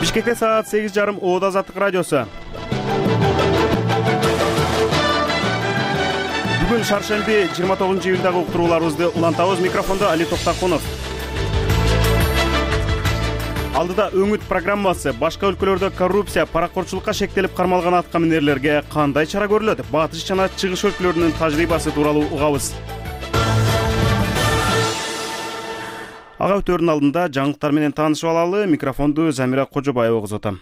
Бишкекте саат 8:30 Оот Азаттык радиосу. Бүгүн шаршемби 29-июлдагы уктурууларыбызды улантабыз. Микрофондо Али Токтакунов. Алдыда өңүт программасы. Башка өлкөлөрдө коррупция, паракорчулукка шектелип кармалган аткаминерлерге кандай чара көрүлөт? Батыш жана чыгыш өлкөлөрүнүн тажрыйбасы тууралуу угабыз. Ага өтөрүнүн алдында жаңылыктар менен таанышып алалы. Микрофонду Замира Кожобаева козотом.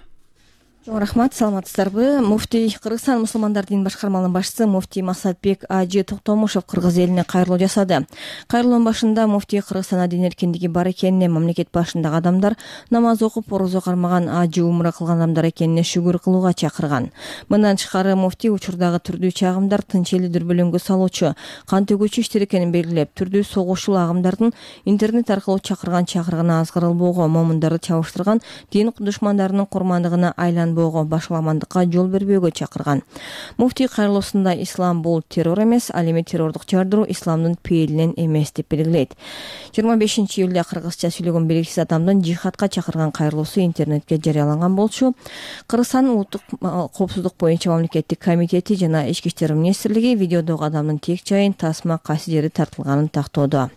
Рахмат, саламатсыздарбы? Муфтий Кыргызстан мусулмандар дин башкармалыгынын башчысы муфтий Максатбек Ажы Токтомушев кыргыз элине кайрылуу жасады. Кайрылуунун башында муфтий Кыргызстанда дин эркиндиги бар экенине, мамлекет башындагы адамдар намаз окуп, орозо кармаган, ажы умра кылган адамдар экенине шүгүр кылууга чакырган. Мындан тышкары муфтий учурдагы түрдүү чагымдар тынч элди дүрбөлөңгө салуучу, кан төгүүчү иштер экенин белгилеп, түрдүү согушчул агымдардын интернет аркылуу чакыргана азгырылбоого, момундарды чабыштырган дин душмандарынын курмандыгына айланбоого, башаламандыкка жол бербөөгө чакырган. Муфтий кайрылуусунда ислам бул террор эмес, ал эми террордук жардыруу исламдын пейилинен эмес деп белгилейт. 25-июлда кыргызча сүйлөгөн белгисиз адамдын жихадка чакырган кайрылуусу интернетке жарыяланган болчу. Кыргызстандын улуттук коопсуздук боюнча мамлекеттик комитети жана ички иштер министрлиги видеодогу адамдын тек жайын, тасма, кайсы жери тартылганын тактоодо.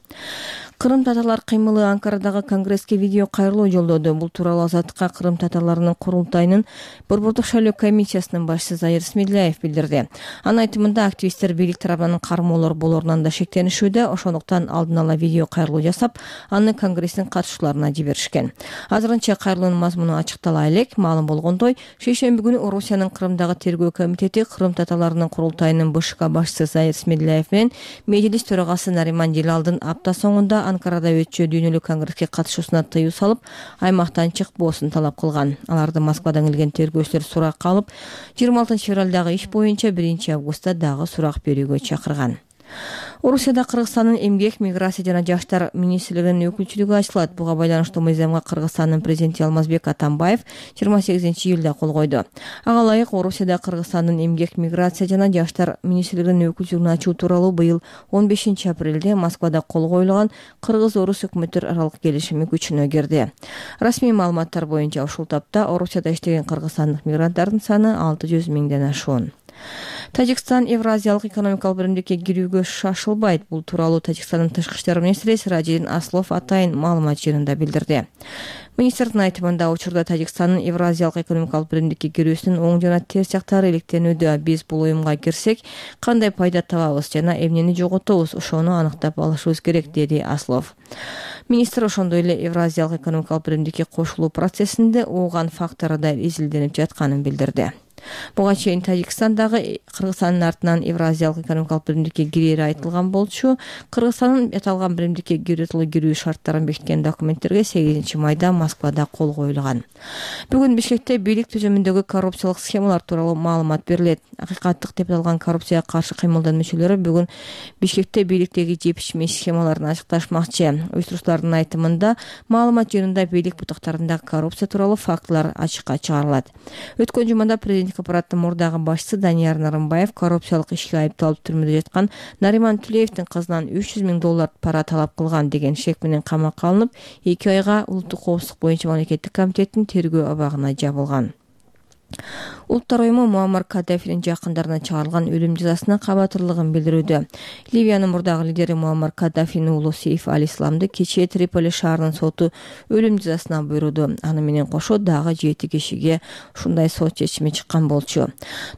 Кырым татарлар кыймылы Анкарадагы конгресске видео кайрылуу жолдоду. Бул тууралуу Азаттыкка Кырым татарларынын курултайынын Борбордук шайлоо комиссиясынын башчысы Заир Смедляев билдирди. Анын айтымында активисттер бийлик тарабынан кармоолор болоорунан да шектенишүүдө, ошондуктан алдын ала видео кайрылуу жасап, аны конгресстин катышууларына жиберишкен. Азырынча кайрылуунун мазмуну ачыктала элек. Маалым болгондой, шейшемби күнү Орусиянын Кырымдагы тергөө комитети Кырым татарларынын курултайынын БШК башчысы Заир Смедляев менен мejlis төрагасы Нариман Желалдын апта соңунда Анкарада өтчү дүйнөлүк конгресске катышуусуна тыюу салып, аймактан чыкпоосун талап кылган. Аларды Москвадан келген тергөөчүлөр суракка алып, 26 февралдагы иш боюнча 1 августта дагы сурак берүүгө чакырган. Орусияда Кыргызстандын эмгек, миграция жана жаштар министрлигинин өкүлчүлүгү ачылат. Буга байланыштуу мыйзамга Кыргызстандын президенти Алмазбек Атамбаев 28-июлда кол койду. Ага ылайык Орусияда Кыргызстандын эмгек, миграция жана жаштар министрлигинин өкүлчүлүгүн ачуу тууралуу быйыл 15 апрелде Москвада кол коюлган Кыргыз-Орус өкмөттөр аралык келишими күчүнө кирди. Расмий маалыматтар боюнча ушул тапта Орусияда иштеген кыргызстандык мигранттардын саны 600 миңден ашуун. Тажикстан Евразиялык экономикалык биримдикке кирүүгө шашылбайт. Бул тууралуу Тажикстандын тышкы иштер министри Сиражиддин Аслов атайын маалымат жыйынында билдирди. Министрдин айтымында учурда Тажикстандын Евразиялык экономикалык биримдикке кирүүсүнүн оң жана терс жактары иликтенүүдө. Биз бул уюмга кирсек, кандай пайда табабыз жана эмнени жоготобуз, ошону аныктап алышыбыз керек, деди Аслов. Министр ошондой эле Евразиялык экономикалык биримдикке кошулуу процессинде ууган фактору да изилденип жатканын билдирди. Буга чейин Тажикстандагы Кыргызстандын артынан Евразиялык экономикалык биримдикке кирери айтылган болчу. Кыргызстандын аталган биримдикке кирүү шарттарын бекиткен документтерге 8 майда Москвада кол коюлган. Бүгүн Бишкекте бийлик түзүмүндөгү коррупциялык схемалар тууралуу маалымат берилет. Акыйкаттык деп аталган коррупцияга каршы кыймылдын мүчөлөрү бүгүн Бишкекте бийликтеги жепишмей схемаларын ачыкташмакчы. Уюштуруучулардын айтымында маалымат жыйынында бийлик бутактарындагы коррупция тууралуу фактылар ачыкка чыгарылат. Өткөн жумада президент аппараттын мурдагы башчысы Данияр Нарымбаев коррупциялык ишке айыпталып түрмөдө жаткан Нариман Тулеевдин кызынан 300 миң доллар пара талап кылган деген шек менен камакка алынып, 2 айга улуттук коопсуздук боюнча мамлекеттик комитеттин тергөө абагына жабылган. Улуттар уюму Муаммар Каддафинин жакындарына чыгарылган өлүм жазасына кабатырлыгын билдирүүдө. Ливиянын мурдагы лидери Муаммар Каддафинин уулу Сейф Ал-Исламды кечээ Триполи шаарынын соту өлүм жазасына буйруду. Аны менен кошо дагы 7 кишиге ушундай сот чечими чыккан болчу.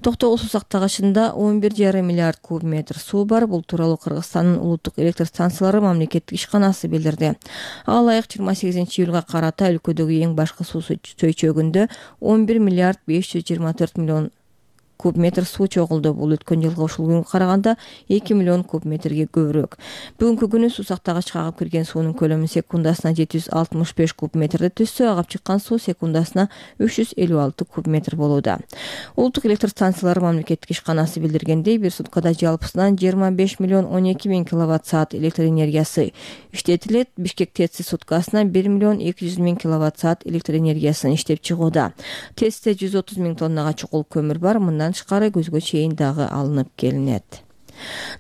Токтогул суу сактагычында 11,5 миллиард куб метр суу бар. Бул тууралуу Кыргызстандын улуттук электр станциялары мамлекеттик ишканасы билдирди. Ага ылайык 28-июлга карата өлкөдөгү эң башкы суу чөйчөгүндө 11 миллиард 524 миллион куб метр суу чогулду. Бул өткөн жылга ушул күнгө караганда 2 миллион куб метрге көбүрөөк. Бүгүнкү күнү суу сактагычка агып кирген суунун көлөмү секундасына 765 куб метрди түзсө, агып чыккан суу секундасына 356 куб метр болууда. Улуттук электр станциялары мамлекеттик ишканасы билдиргендей, бир суткада жалпысынан 25 миллион 12 миң киловатт саат электр энергиясы иштетилет. Бишкек ТЭЦи суткасына 1 миллион 200 миң киловатт саат электр энергиясын иштеп чыгууда. ТЭЦте 130 миң тоннага чукул көмүр бар. Мындан тышкары көзгө чейин дагы алынып келинет.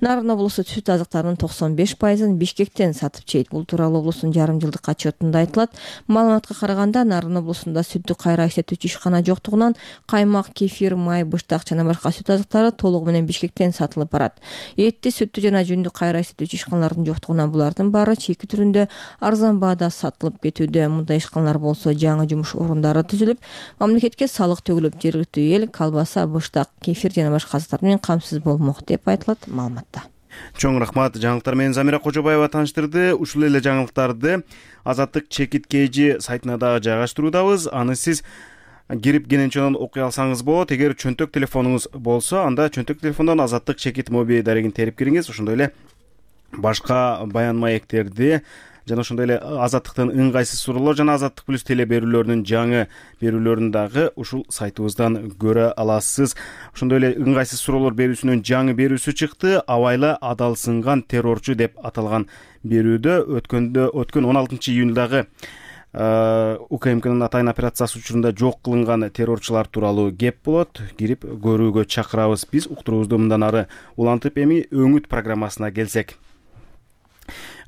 Нарын облусу сүт азыктарынын 95%-ын Бишкектен сатып чейт. Бул тууралуу облустун жарым жылдык отчетунда айтылат. Маалыматка караганда Нарын облусунда сүттү кайра иштетүүчү ишкана жоктугунан каймак, кефир, май, быштак жана башка сүт азыктары толугу менен Бишкектен сатылып барат. Этти, сүттү жана жүндү кайра иштетүүчү ишканалардын жоктугунан булардын баары чийки түрүндө арзан баада сатылып кетүүдө. Мындай ишканалар болсо жаңы жумуш орундары түзүлүп, мамлекетке салык төгүлүп, жергиликтүү эл колбаса, быштак, кефир жана башка азыктар менен камсыз болмок деп айтылат маалыматта. Чоң рахмат. Жаңылыктар менен Замира Кожобаева тааныштырды. Ушул эле жаңылыктарды Азаттык чекит KG сайтына дагы жайгаштыруудабыз. Аны сиз кирип кененчеден окуй алсаңыз болот. Эгер чөнтөк телефонуңуз болсо, анда чөнтөк телефондон Азаттык чекит моби дарегин терип кириңиз. Ошондой эле башка баян маектерди жана ошондой эле Азаттыктын ыңгайсыз суроолор жана Азаттык плюс теле берүүлөрүнүн жаңы берүүлөрүн дагы ушул сайтыбыздан көрө аласыз. Ошондой эле ыңгайсыз суроолор берүүсүнүн жаңы берүүсү чыкты. Абайла адалсынган террорчу деп аталган берүүдө өткөн 16-июндагы УКМКнын атайын операциясы учурунда жок кылынган террорчулар тууралуу кеп болот. Кирип көрүүгө чакырабыз. Биз уктуруубузду мындан ары улантып эми өңүт программасына келсек.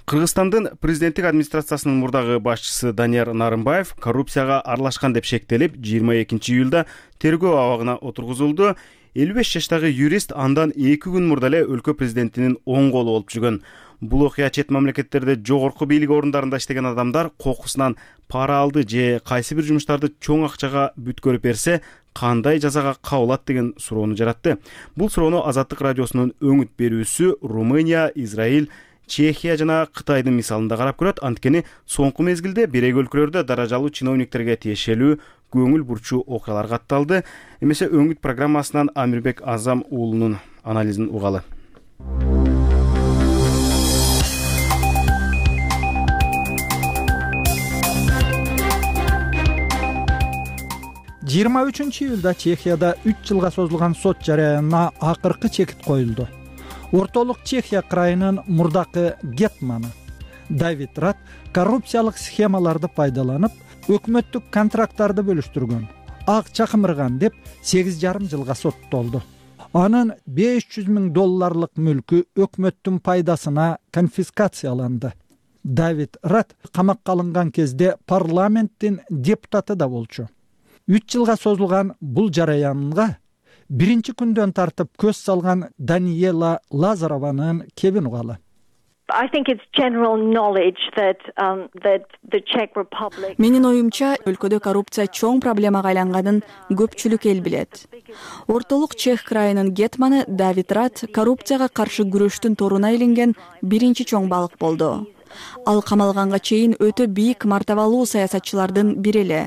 Кыргызстандын президенттик администрациясынын мурдагы башчысы Данияр Нарымбаев коррупцияга аралашкан деп шектелип, 22-июлда тергөө абагына отургузулду. 55 жаштагы юрист андан 2 күн мурда эле өлкө президентинин оң колу болуп жүргөн. Бул окуя чет мамлекеттерде жогорку бийлик орундарында иштеген адамдар кокусунан пара алды же кайсы бир жумуштарды чоң акчага бүткөрүп берсе, кандай жазага кабылат деген суроону жаратты. Бул суроону Азаттык радиосунун өңүт берүүсү Румыния, Израиль, Чехия жана Кытайдын мисалында карап көрөт. Анткени соңку мезгилде бирек өлкөлөрдө даражалуу чиновниктерге тиешелүү көңүл бурчу окуялар катталды. Эмесе өңүт программасынан Амирбек Азам уулунун анализин угалы. 23-июлда Чехияда 3 жылга созулган сот жарыянына акыркы чекит коюлду. Ортолук Чехия крайынын мурдакы гетманы Давид Рат коррупциялык схемаларды пайдаланып, өкмөттүк контракттарды бөлүштүргөн, акча кымырган деп 8,5 жылга соттолду. Анын $500,000 мүлкү өкмөттүн пайдасына конфискацияланды. Давид Рат камакка алынган кезде парламенттин депутаты да болчу. 3 жылга созулган бул жараянга биринчи күндөн тартып көз салган Даниела Лазарованын кебин угалы. Менин оюмча, өлкөдө коррупция чоң проблемага айланганын көпчүлүк эл билет. Ортолук Чех крайынын гетманы Давид Рат коррупцияга каршы күрөштүн торуна илинген биринчи чоң балык болду. Ал камалганга чейин өтө бийик мартабалуу саясатчылардын бири эле.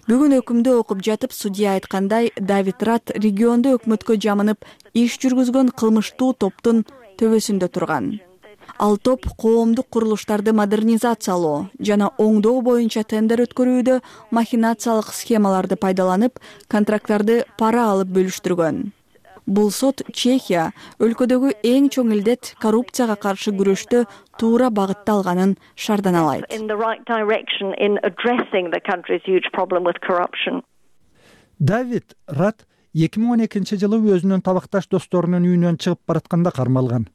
Бүгүн өкүмдү окуп жатып, судья айткандай, Давид Рат региондо өкмөткө жамынып иш жүргүзгөн кылмыштуу топтун төбөсүндө турган. Ал топ коомдук курулуштарды модернизациялоо жана оңдоо боюнча тендер өткөрүүдө махинациялык схемаларды пайдаланып, контракттарды пара алып бөлүштүргөн. Бул сот Чехия өлкөдөгү эң чоң илдет коррупцияга каршы күрөштө туура багытта алганын шарданалайт. Давид Рат 2012-жылы өзүнүн табакташ досторунун үйүнөн чыгып баратканда кармалган.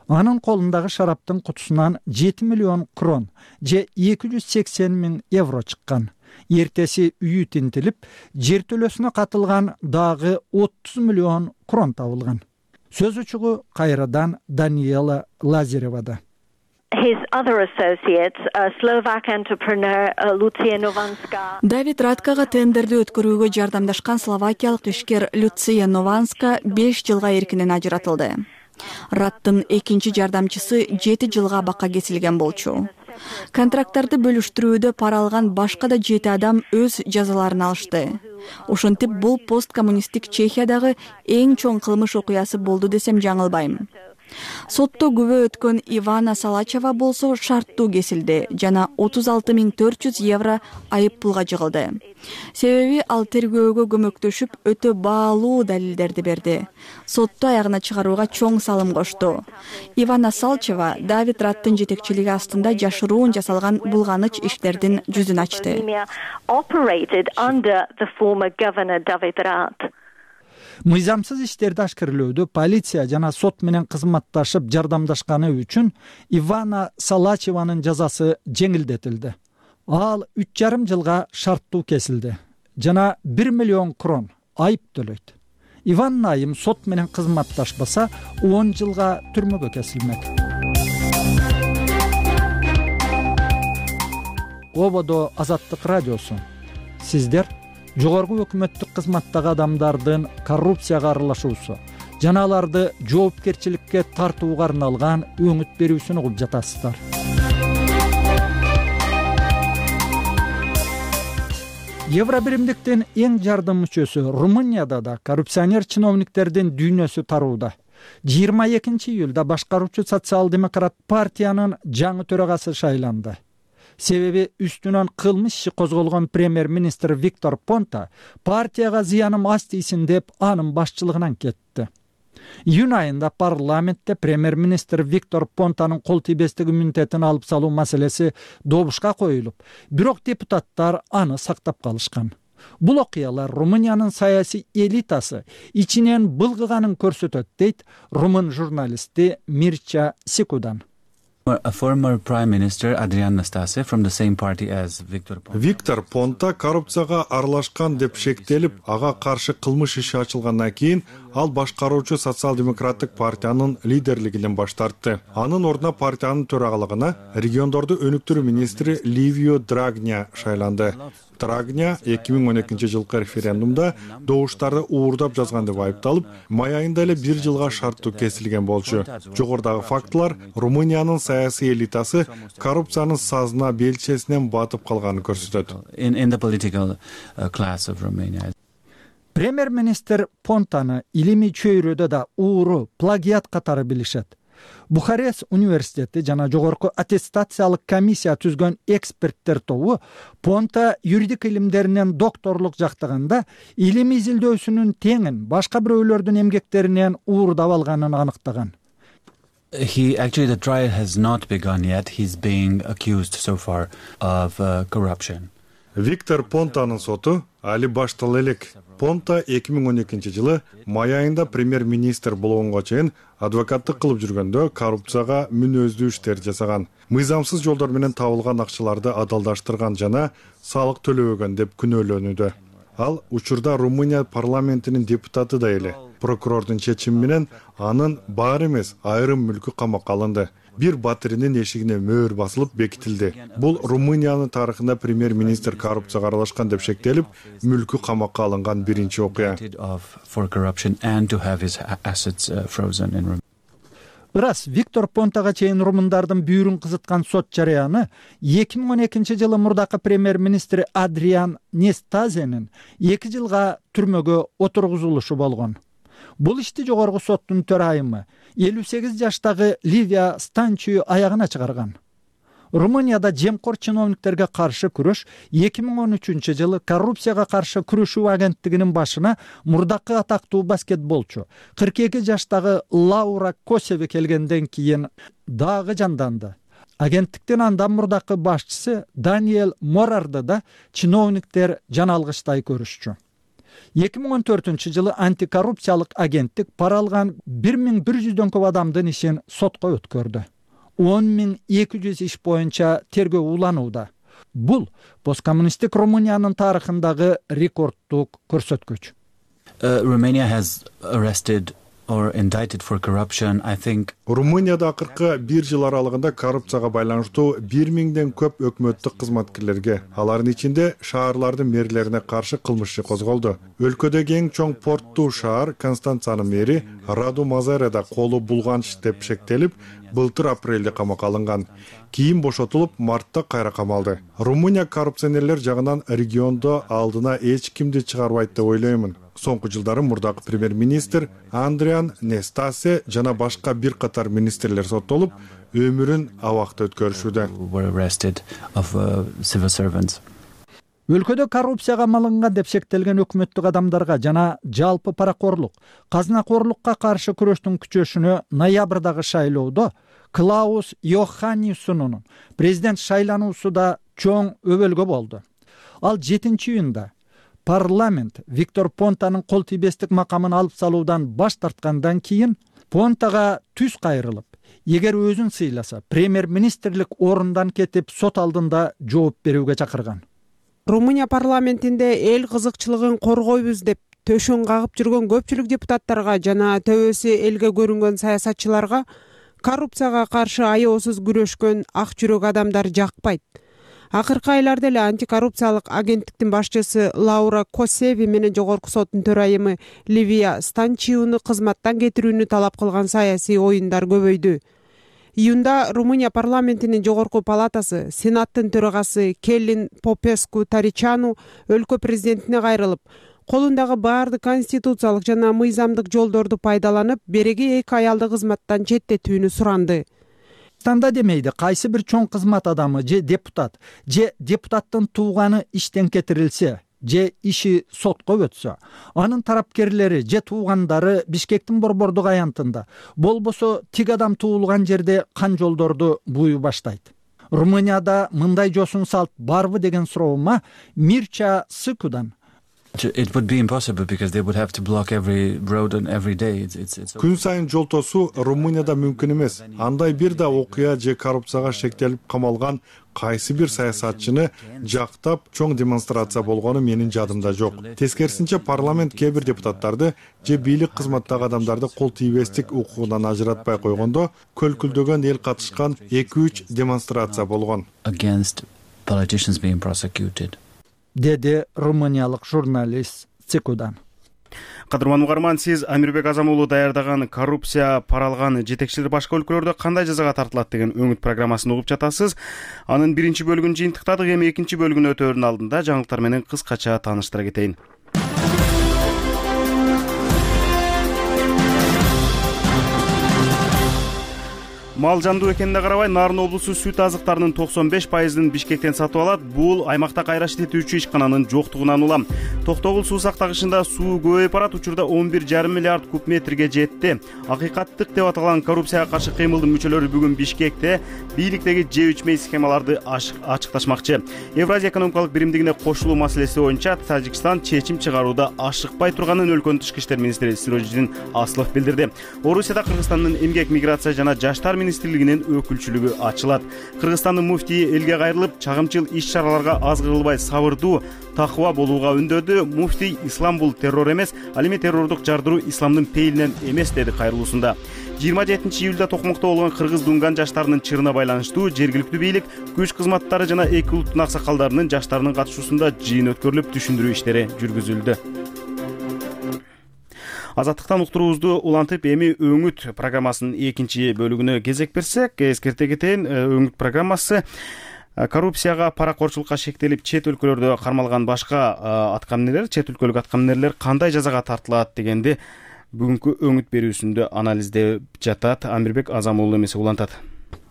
Анын колундагы шараптын кутусунан 7 миллион крон же 280,000 евро чыккан. Эртеси үйү тинтилип, жертөлөсүнө катылган дагы 30 миллион крон табылган. Сөз учугу кайрадан Даниела Лазаревада. Давид Раткага тендерди өткөрүүгө жардамдашкан словакиялык ишкер Люция Нованска 5 жылга эркинен ажыратылды. Раттын экинчи жардамчысы 7 жылга абакка кесилген болчу. Контракттарды бөлүштүрүүдө пара алган башка да 7 адам өз жазаларын алышты. Ошентип, бул посткоммунисттик Чехиядагы эң чоң кылмыш окуясы болду десем жаңылбайм. Сотто күбө өткөн Ивана Салачева болсо шарттуу кесилди жана 36,400 евро айып пулга жыгылды. Себеби ал тергөөгө көмөктөшүп, өтө баалуу далилдерди берди. Сотто аягына чыгарууга чоң салым кошту. Ивана Салачева Давид Раттын жетекчилиги астында жашыруун жасалган булганыч иштердин жүзүн ачты. Мыйзамсыз иштерди ашкерлөөдө полиция жана сот менен кызматташып жардамдашканы үчүн Ивана Салачеванын жазасы жеңилдетилди. Ал 3,5 жылга шарттуу кесилди жана 1 миллион крон айып төлөйт. Иван айым сот менен кызматташпаса 10 жылга түрмөгө кесилмек. Ободо Азаттык радиосу. Сиздер жогорку өкмөттүк кызматтагы адамдардын коррупцияга аралашуусу жана аларды жоопкерчиликке тартууга арналган өңүт берүүсүн угуп жатасыздар. Евробиримдиктин эң жардым мүчөсү Румынияда да коррупционер чиновниктердин дүйнөсү тарууда. 22 июлда башкаруучу социал-демократ партиянын жаңы төрагасы шайланды. Себеби үстүнөн кылмыш иши козголгон премьер-министр Виктор Понта партияга зыяным аз тийсин деп анын башчылыгынан кетти. Июнь айында парламентте премьер-министр Виктор Понтанын кол тийбестик иммунитетин алып салуу маселеси добушка коюлуп, бирок депутаттар аны сактап калышкан. Бул окуялар Румыниянын саясий элитасы ичинен былгыганын көрсөтөт, дейт румын журналисти Мирча Сикудан. A former prime minister Adrian Nastase from the same party as Viktor Ponta. Виктор Понта коррупцияга аралашкан деп шектелип, ага каршы кылмыш иши ачылгандан кийин ал башкаруучу социал-демократтык партиянын лидерлигинен баш тартты. Анын ордуна партиянын төрагалыгына региондорду өнүктүрүү министри Ливио Драгня шайланды. Драгня 2012 жылкы референдумда добуштарды уурдап жазган деп айыпталып, май айында эле 1 жылга шарттуу кесилген болчу. Жогорудагы фактылар Румыниянын саясий элитасы коррупциянын сазына белчесинен батып калганын көрсөтөт. In the political class of Romania. Премьер-министр Понтаны илимий чөйрөдө да ууру, плагиат катары билишет. Бухарест университети жана жогорку аттестациялык комиссия түзгөн эксперттер тобу Понта юридик илимдеринен докторлук жактаганда илим изилдөөсүнүн теңин башка бирөөлөрдүн эмгектеринен уурдап алганын аныктаган. Actually the trial has not begun yet. He's being accused so far of corruption. Виктор Понтанын соту али баштала элек. Понта 2012 жылы май айында премьер-министр болгонго чейин адвокаттык кылып жүргөндө коррупцияга мүнөздүү иштер жасаган. Мыйзамсыз жолдор менен табылган акчаларды адалдаштырган жана салык төлөбөгөн деп күнөөлөнүүдө. Ал учурда Румыния парламентинин депутаты да эле. Прокурордун чечими менен анын баары эмес айрым мүлкү камакка алынды. Бир батиринин эшигине мөөр басылып бекитилди. Бул Румыниянын тарыхында премьер-министр коррупцияга аралашкан деп шектелип, мүлкү камакка алынган биринчи окуя. Ырас Виктор Понтага чейин румындардын бүйүрүн кызыткан сот жарыяны 2012 жылы мурдакы премьер-министр Адриан Нестазенин 2 жылга түрмөгө отургузулушу болгон. Бул ишти жогорку соттун төрайымы 58 жаштагы Ливия Станчию аягына чыгарган. Румынияда жемкор чиновниктерге каршы күрөш 2013 жылы коррупцияга каршы күрөшүү агенттигинин башына мурдакы атактуу баскетболчу 42 жаштагы Лаура Косеви келгенден кийин дагы жанданды. Агенттиктин андан мурдакы башчысы Даниэль Морарды да чиновниктер жаналгычтай көрүшчү. 2014 жылы антикоррупциялык агенттик пара алган 1100дөн көп адамдын ишин сотко өткөрдү. 10200 иш боюнча тергөө уланууда. Бул посткоммунисттик Румыниянын тарыхындагы рекорддук көрсөткүч. Romania has arrested or indicted for corruption, I think. Румынияда акыркы 1 жыл аралыгында коррупцияга байланыштуу 1000ден көп өкмөттүк кызматкерлерге, алардын ичинде шаарлардын мэрлерине каршы кылмыш иши козголду. Өлкөдөгү эң чоң порттуу шаар Констанцанын мэри Раду Мазареда колу булганч деп шектелип, былтыр апрелде камакка алынган. Кийин бошотулуп, мартта кайра камалды. Румыния коррупционерлер жагынан региондо алдына эч кимди чыгарбайт деп ойлоймун. Соңку жылдары мурдакы премьер-министр Адриан Нестасе жана башка бир катар министрлер соттолуп, өмүрүн абакта өткөрүшүүдө. Өлкөдө коррупцияга малынган деп шектелген өкмөттүк адамдарга жана жалпы паракорлук, казынакорлукка каршы күрөштүн күчөшүнө ноябрдагы шайлоодо Клаус Йоханнессонун президент шайлануусу да чоң өбөлгө болду. Ал 7 июнда парламент Виктор Понтанын кол тийбестик макамын алып салуудан баш тарткандан кийин Понтага түз кайрылып, эгер өзүн сыйласа, премьер-министрлик орундан кетип сот алдында жооп берүүгө чакырган. Румыния парламентинде эл кызыкчылыгын коргойбуз деп төшөн кагып жүргөн көпчүлүк депутаттарга жана төбөсү элге көрүнгөн саясатчыларга коррупцияга каршы аеосуз күрөшкөн ак жүрөк адамдар жакпайт. Акыркы айларда эле антикоррупциялык агенттиктин башчысы Лаура Косеви менен жогорку соттун төрайымы Ливия Станчиуну кызматтан кетирүүнү талап кылган саясий оюндар көбөйдү. Июнда Румыния парламентинин жогорку палатасы Сенаттын төрагасы Келлин Попеску Таричану өлкө президентине кайрылып, колундагы баардык конституциялык жана мыйзамдык жолдорду пайдаланып, береги 2 аялды кызматтан четтетүүнү суранды. Танда демейди, кайсы бир чоң кызмат адамы же депутаттын тууганы иштен кетирилсе, же иши сотко өтсө, анын тарапкерлери же туугандары Бишкектин борбордук аянтында, болбосо тиг адам туулган жерде кан жолдорду бууй баштайт. Румынияда мындай жосун салт барбы деген суроома Мирча Сыкудан It would be impossible because they would have to block every road and every day. Күн сайын жол тосуу Румынияда мүмкүн эмес. Андай бир да окуя же коррупцияга шектелип камалган кайсы бир саясатчыны жактап чоң демонстрация болгону менин жадымда жок. Тескерисинче парламент кээ бир депутаттарды же бийлик кызматтагы адамдарды кол тийбестик укугунан ажыратпай койгондо көлкүлдөгөн эл катышкан 2-3 демонстрация болгон. Against politicians being prosecuted. Деди румыниялык журналист Цикудан. Кадырман угарман, сиз Амирбек Азамуулу даярдаган коррупция паралган жетекчилер башка өлкөлөрдө кандай жазага тартылат деген өңүт программасын угуп жатасыз. Анын биринчи бөлүгүн жыйынтыктадык, эми экинчи бөлүгүнө өтөөрдүн алдында жаңылыктар менен кыскача тааныштыра кетейин. Мал жандуу экенине карабай, Нарын облусу сүт азыктарынын 95%ын Бишкектен сатып алат. Бул аймакта кайраш этүүчү ишкананын жоктугунан улам. Токтогул суу сактагычында суу көбөйүп барат, учурда 11,5 миллиард куб метрге жетти. Акыйкаттык деп аталган коррупцияга каршы кыймылдын мүчөлөрү бүгүн Бишкекте бийликтеги же үчмей схемаларды ачыкташмакчы. Евразия экономикалык биримдигине кошулуу маселеси боюнча Тажикстан чечим чыгарууда ашыкпай турганын өлкөнүн тышкы иштер министри Сироджидин Аслов билдирди. Орусияда Кыргызстандын эмгек, миграция жана жаштар министрлигинин өкүлчүлүгү ачылат. Кыргызстандын муфтийи элге кайрылып, чагымчыл иш-чараларга аз кырылбай сабырдуу, такыба болууга үндөдү. Муфтий ислам бул террор эмес, ал эми террордук жардыруу исламдын пейилинен эмес деди кайрылуусунда. 27-июлда Токмокто болгон кыргыз дунган жаштарынын чырына байланыштуу жергиликтүү бийлик, күч кызматтары жана эки улуттун аксакалдарынын жаштарынын катышуусунда жыйын өткөрүлүп, түшүндүрүү иштери жүргүзүлдү. Азаттыктан уктуруубузду улантып, эми өңүт программасынын экинчи бөлүгүнө кезек берсек, эскерте кетейин, өңүт программасы коррупцияга, паракорчулукка шектелип чет өлкөлөрдө кармалган башка аткаминерлер, чет өлкөлүк аткаминерлер кандай жазага тартылат дегенди бүгүнкү өңүт берүүсүндө анализдеп жатат. Амирбек Азамуулу эмесе улантат.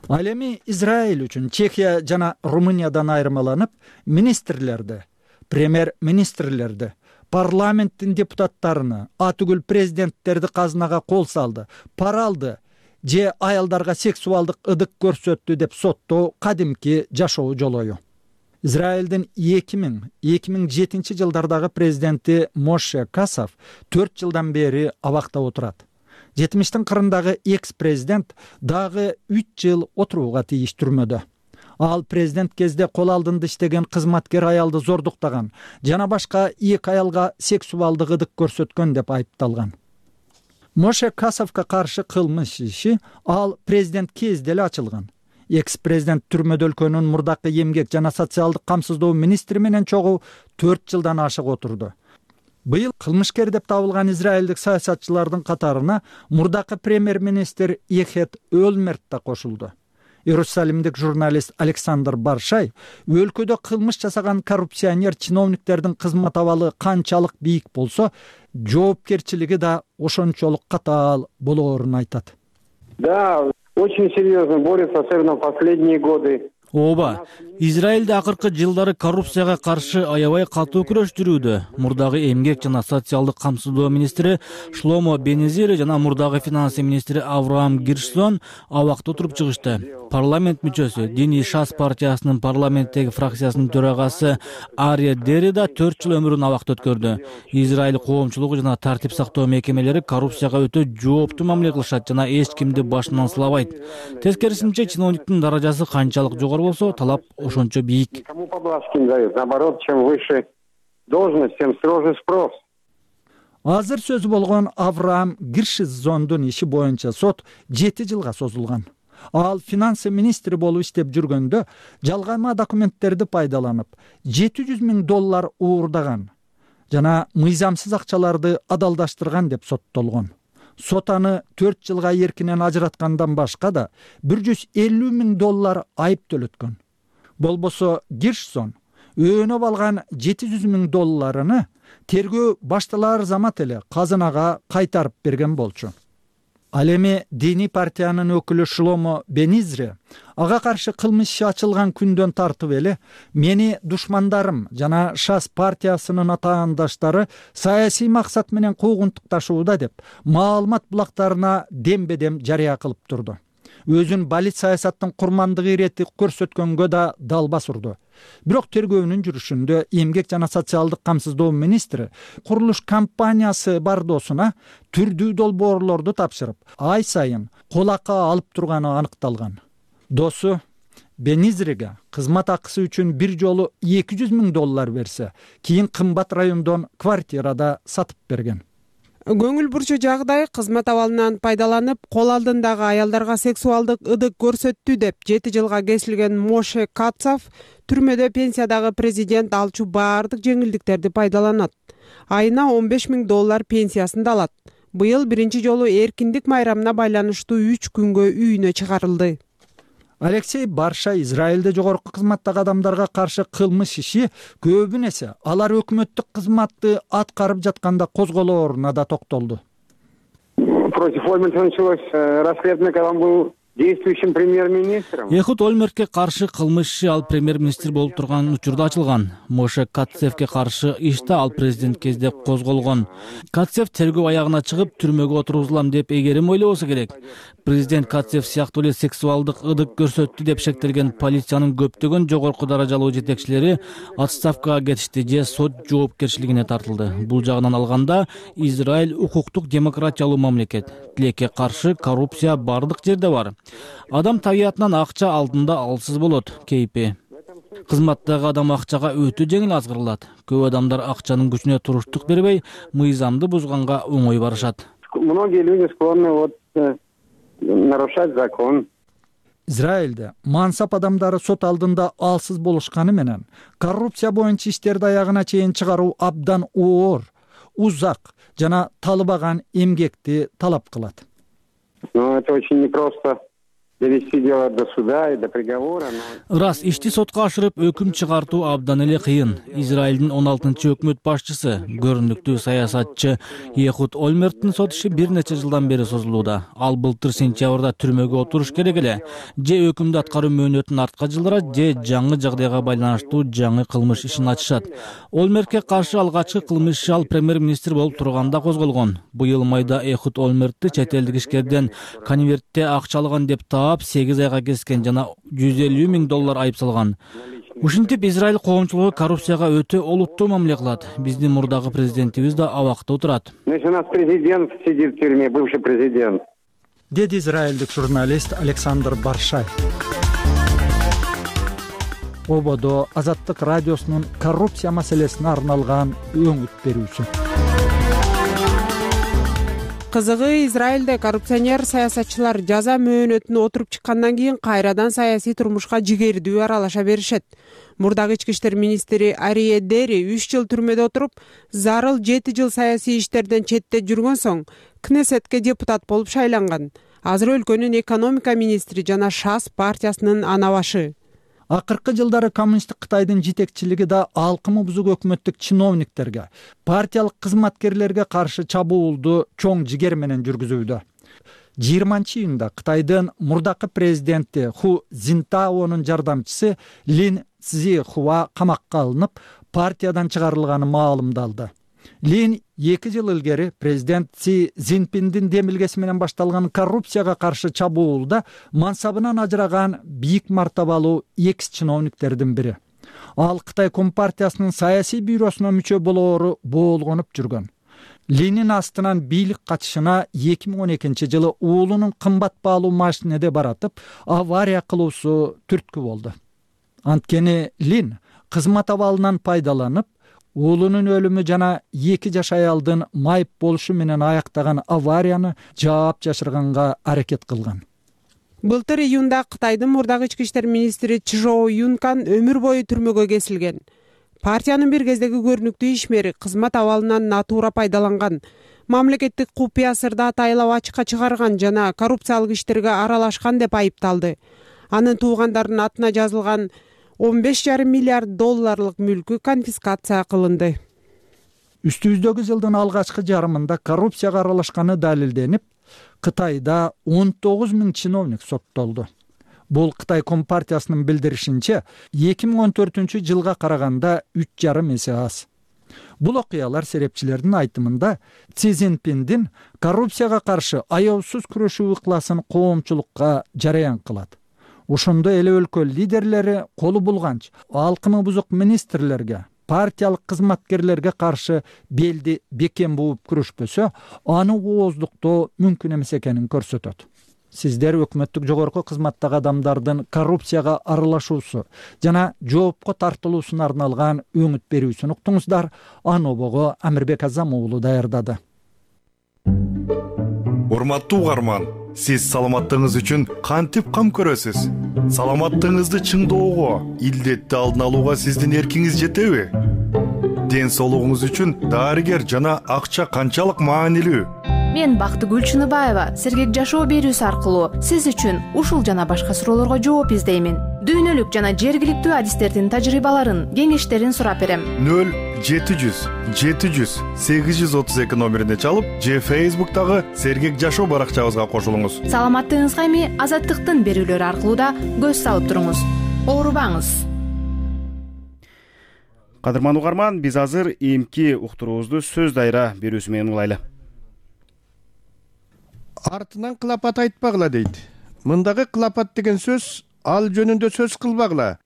Ал эми Израиль үчүн Чехия жана Румыниядан айырмаланып, министрлерди, премьер-министрлерди, парламенттин депутаттарыны, атүгүл президенттерди казынага кол салды, пара алды же аялдарга сексуалдык ыдык көрсөттү деп соттоо кадимки жашоо жолою. Израилдин 2007 жылдардагы президенти Моше Касов 4 жылдан бери абакта отурат. 70-тин кырындагы экс-президент дагы 3 жыл отурууга тийиш түрмөдө. Ал президент кезде кол алдында иштеген кызматкер аялды зордуктаган жана башка 2 аялга сексуалдык ыдык көрсөткөн деп айыпталган. Моше Касовго каршы кылмыш иши ал президент кезде эле ачылган. Экс-президент түрмөдө өлкөнүн мурдакы эмгек жана социалдык камсыздоо министри менен чогуу 4 жылдан ашык отурду. Быйыл кылмышкер деп табылган израилдик саясатчылардын катарына мурдакы премьер-министр Эхет Өлмерт да кошулду. Иерусалимдик журналист Александр Баршай өлкөдө кылмыш жасаган коррупционер чиновниктердин кызмат абалы канчалык бийик болсо, жоопкерчилиги да ошончолук катаал болоорун айтат. Да, очень серьезно борется, особенно в последние годы. ооба, Израилде акыркы жылдары коррупцияга каршы аябай катуу күрөш жүрүүдө. Мурдагы эмгек жана социалдык камсыздоо министри Шломо Бенезир жана мурдагы финансы министри Авраам Гиршсон абакта отуруп чыгышты. Парламент мүчөсү, Диний Шас партиясынын парламенттеги фракциясынын төрагасы Ария Дери да 4 жыл өмүрүн абакта өткөрдү. Израиль коомчулугу жана тартип сактоо мекемелери коррупцияга өтө жооптуу мамиле кылышат жана эч кимди башынан сылабайт. Тескерисинче, чиновниктин даражасы канчалык жогору болсо, талап ошончо бийик. Азыр сөзү болгон Авраам Гиршзондун иши боюнча сот 7 жылга созулган. Ал финансы министри болуп иштеп жүргөндө жалгама документтерди пайдаланып, $700,000 уурдаган жана мыйзамсыз акчаларды адалдаштырган деп соттолгон. Сот аны 4 жылга эркинен ажыраткандан башка да $150,000 айып төлөткөн. Болбосо Гиршсон өөнөп алган $700,000 тергөө башталар замат эле казынага кайтарып берген болчу. Ал эми диний партиянын өкүлү Шломо Бенезир ага каршы кылмыш иши ачылган күндөн тартып эле мени душмандарым жана Шас партиясынын атаандаштары саясий максат менен куугунтукташууда деп маалымат булактарына дембедем жарыя кылып турду. Өзүн балит саясаттын курмандыгы ирети көрсөткөнгө да далбас урду. Бирок тергөөнүн жүрүшүндө эмгек жана социалдык камсыздоо министри курулуш компаниясы бардоосуна түрдүү долбоорлорду тапшырып, ай сайын кол акы алып турганы аныкталган. Досу Бенезирге кызмат акысы үчүн бир жолу $200,000 берсе, кийин кымбат райондон квартирада сатып берген. Көңүл бурчу жагдай кызмат абалынан пайдаланып, кол алдындагы аялдарга сексуалдык ыдык көрсөттү деп 7 жылга кесилген Моше Катцев түрмөдө пенсиядагы президент алчу баардык жеңилдиктерди пайдаланат. Айына $15,000 пенсиясын да алат. Быйыл биринчи жолу эркиндик майрамына байланыштуу 3 күнгө үйүнө чыгарылды. Алексей Барша Израилде жогорку кызматтагы адамдарга каршы кылмыш иши көбүн эсе алар өкмөттүк кызматты аткарып жатканда козголооруна да токтолду. Против Ольмерта началось расследование, когда он был действующим премьер-министром. Эхуд Ольмертке каршы кылмыш иши ал премьер-министр болуп турган учурда ачылган. Моше Катцевке каршы иш да ал президент кезде козголгон. Катцев тергөө аягына чыгып, түрмөгө отургузулам деп эгерим ойлобосо керек. Президент Катцев сыяктуу эле сексуалдык ыдык көрсөттү деп шектелген полициянын көптөгөн жогорку даражалуу жетекчилери отставкага кетишти же сот жоопкерчилигине тартылды. Бул жагынан алганда Израиль укуктук демократиялуу мамлекет. Тилекке каршы коррупция бардык жерде бар. Адам табиятынан акча алдында алсыз болот, кейпи. Кызматтагы адам акчага өтө жеңил азгырылат. Көп адамдар акчанын күчүнө туруштук бербей, мыйзамды бузганга оңой барышат. Многие люди склонны нарушать закон. Израилде мансап адамдары сот алдында алсыз болушканы менен коррупция боюнча иштерди аягына чейин чыгаруу абдан оор, узак жана талыбаган эмгекти талап кылат. Но это очень непросто довести дело до суда и до приговора. Рас, ишти сотко ашырып өкүм чыгартуу абдан эле кыйын. Израилдин 16-өкмөт башчысы, көрүнүктүү саясатчы Эхуд Ольмерттин сот иши бир нече жылдан бери созулууда. Ал былтыр сентябрда түрмөгө отуруш керек эле. Же өкүмдү аткаруу мөөнөтүн артка жылдырат, же жаңы жагдайга байланыштуу жаңы кылмыш ишин ачышат. Ольмертке каршы алгачкы кылмыш иши ал премьер-министр болуп турганда козголгон. Быйыл майда Эхуд Ольмертти чет элдик ишкерден конвертте акча алган деп 8 айга кескен жана $150,000 айып салган. Ушинтип Израиль коомчулугу коррупцияга өтө олуттуу мамиле кылат. Биздин мурдагы президентибиз да абакта отурат. У нас президент сидит в тюрьме, бывший президент. Деди израилдик журналист Александр Баршай. Ободо Азаттык радиосунун коррупция маселесине арналган өңүт берүүсү. Кызыгы, Израилде коррупционер саясатчылар жаза мөөнөтүнө отуруп чыккандан кийин кайрадан саясий турмушка жигердүү аралаша беришет. Мурдагы ички иштер министри Ария Дери 3 жыл түрмөдө отуруп, зарыл 7 жыл саясий иштерден четте жүргөн соң Кнессетке депутат болуп шайланган. Азыр өлкөнүн экономика министри жана Шас партиясынын ана башы. Акыркы жылдары коммунисттик Кытайдын жетекчилиги да алкымы бузук өкмөттүк чиновниктерге, партиялык кызматкерлерге каршы чабуулду чоң жигер менен жүргүзүүдө. 20-июнда Кытайдын мурдакы президенти Ху Цзинтаонун жардамчысы Лин Цзихуа камакка алынып, партиядан чыгарылганы маалымдалды. Лин 2 жыл илгери президент Си Цзиньпиндин демилгеси менен башталган коррупцияга каршы чабуулда мансабынан ажыраган бийик мартабалуу экс-чиновниктердин бири. Ал Кытай Компартиясынын саясий бюросуна мүчө болоору боолгонуп жүргөн. Линин астынан бийлик качышына 2012-жылы уулунун кымбат баалуу машинеде баратып, авария кылуусу түрткү болду. Анткени Лин кызмат абалынан пайдаланып, уулунун өлүмү жана 2 жаш аялдын майып болушу менен аяктаган аварияны жаап жашырганга аракет кылган. Былтыр июнда Кытайдын мурдагы ички иштер министри Чжоу Юнкан өмүр бою түрмөгө кесилген. Партиянын бир кездеги көрүнүктүү ишмери кызмат абалынан натуура пайдаланган, мамлекеттик купуя сырды атайлап ачыкка чыгарган жана коррупциялык иштерге аралашкан деп айыпталды. Анын туугандарынын атына жазылган 15,5 миллиард долларлык мүлкү конфискация кылынды. Үстүбүздөгү жылдын алгачкы жарымында коррупцияга аралашканы далилденип, Кытайда 19 000 чиновник соттолду. Бул Кытай Компартиясынын билдиришинче 2014-жылга караганда 3,5 эсе аз. Бул окуялар серепчилердин айтымында Си Цзиньпиндин коррупцияга каршы аеусуз күрөшүү ыкласын коомчулукка жараян кылат. Ошондо эле өлкө лидерлери колу булганча алкымы бузук министрлерге, партиялык кызматкерлерге каршы белди бекем бууп күрөшпөсө, аны ооздуктоо мүмкүн эмес экенин көрсөтөт. Сиздер өкмөттүк жогорку кызматтагы адамдардын коррупцияга аралашуусу жана жоопко тартылуусуна арналган өңүт берүүсүн уктуңуздар. Анобого Амирбек Азам уулу даярдады. Урматтуу угарман, сиз саламаттыгыңыз үчүн кантип кам көрөсүз? Саламаттыгыңызды чыңдоого, илдетти алдын алууга сиздин эркиңиз жетеби? Ден соолугуңуз үчүн дарыгер жана акча канчалык маанилүү? Мен Бактыгүл Чыныбаева сергек жашоо берүүсү аркылуу сиз үчүн ушул жана башка суроолорго жооп издеймин. Дүйнөлүк жана жергиликтүү адистердин тажрыйбаларын, кеңештерин сурап берем. 0-700-832 номерине чалып, же Facebook'тагы сергек жашоо баракчабызга кошулуңуз. Саламаттыгыңызга эми Азаттыктын берүүлөрү аркылуу да көз салып туруңуз. Оорубаңыз. Кадырман угарман, биз азыр эмки уктуруубузду сөз дайра берүүсү менен улайлы. Артынан кылапат айтпагыла дейт. Мындагы кылапат деген сөз ал жөнүндө сөз кылбагыла.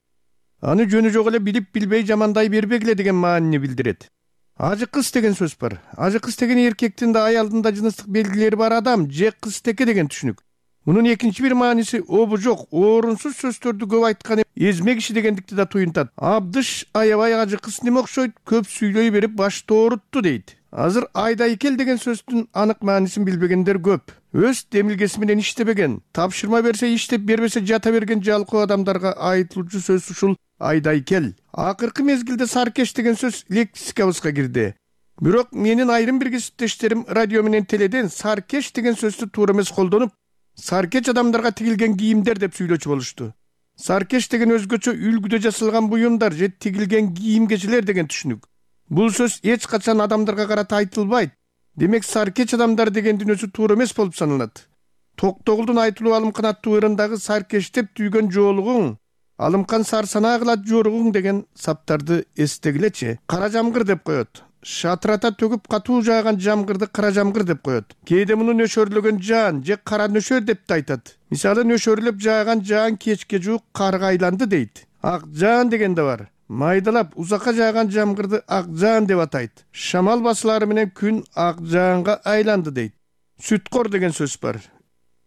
Аны жөнү жок эле билип билбей жамандай бербегиле деген маанини билдирет. Ажы кыз деген сөз бар. Ажы кыз деген эркектин да аялдын да жыныстык белгилери бар адам же кызтеке деген түшүнүк. Мунун экинчи бир мааниси обу жок, орунсуз сөздөрдү көп айткан эзме киши дегендикти да туюнтат. Абдыш аябай ажы кыз неме окшойт, көп сүйлөй берип башты оорутту дейт. Азыр айдай кел деген сөздүн анык маанисин билбегендер көп. Өз демилгеси менен иштебеген, тапшырма берсе иштеп, бербесе жата берген жалкоо адамдарга айтылуучу сөз ушул айдай кел. Акыркы мезгилде саркеш деген сөз лексикабызга кирди. Бирок менин айрым бир кесиптештерим радио менен теледен саркеш деген сөздү туура эмес колдонуп, саркеч адамдарга тигилген кийимдер деп сүйлөчү болушту. Саркеш деген өзгөчө үлгүдө жасалган буюмдар же тигилген кийим-кечелер деген түшүнүк. Бул сөз эч качан адамдарга карата айтылбайт. Демек саркеч адамдар дегендин өзү туура эмес болуп саналат. Токтогулдун айтылуу алымкан аттуу ырындагы саркештеп түйгөн жоолугуң, алымкан сарсанаа кылат жоругуң деген саптарды эстегилечи. Кара жамгыр деп коет. Шатырата төгүп катуу жааган жамгырды кара жамгыр деп коет. Кээде муну нөшөрлөгөн жаан же кара нөшөр деп да айтат. Мисалы нөшөрлөп жааган жаан кечке жуук карга айланды дейт. Ак жаан деген да бар. Майдалап узакка жааган жамгырды ак жаан деп атайт. Шамал басылары менен күн ак жаанга айланды дейт. Сүткор деген сөз бар.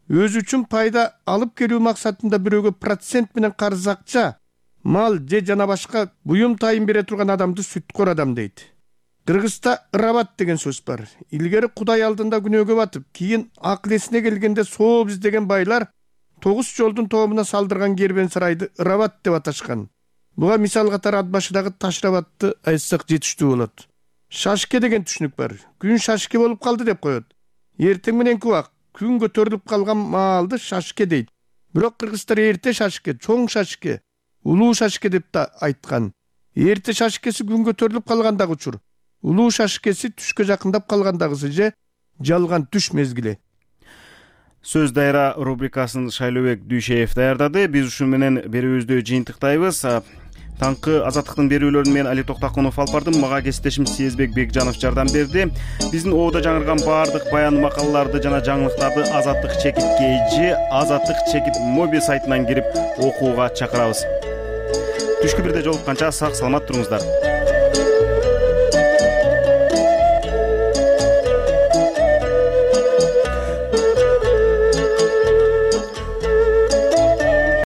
Өзү үчүн пайда алып келүү максатында бирөөгө процент менен карыз акча, мал же жана башка буюм тайын бере турган адамды сүткор адам дейт. Кыргызда ырабат деген сөз бар. Илгери Кудай алдында күнөөгө батып, кийин акыл эсине келгенде сооп издеген байлар 9 жолдун тоомуна салдырган кербен сарайды ырабат деп аташкан. Буга мисал катары ат башыдагы Ташрабатты айтсак жетиштүү болот. Шашке деген түшүнүк бар. Күн шашке болуп калды деп коет. Эртең мененки убак күн көтөрүлүп калган маалды шашке дейт. Бирок кыргыздар эрте шашке, чоң шашке, улуу шашке деп да айткан. Эрте шашкеси күн көтөрүлүп калгандагы учур. Улуу шашкеси түшкө жакындап калгандагысы же жалган түш мезгили. Сөз дайра рубрикасын Шайлообек Дүйшеев даярдады. Биз ушун менен берүүбүздү жыйынтыктайбыз. Таңкы азаттыктын берүүлөрүн мен Али Токтакунов алып бардым. Мага кесиптешим Сезбек Бекжанов жардам берди. Биздин ободо жаңырган баардык баян макалаларды жана жаңылыктарды Азаттык чекит KG, Азаттык чекит моби сайтынан кирип окууга чакырабыз. Түшкү бирде жолукканча сак саламат туруңуздар.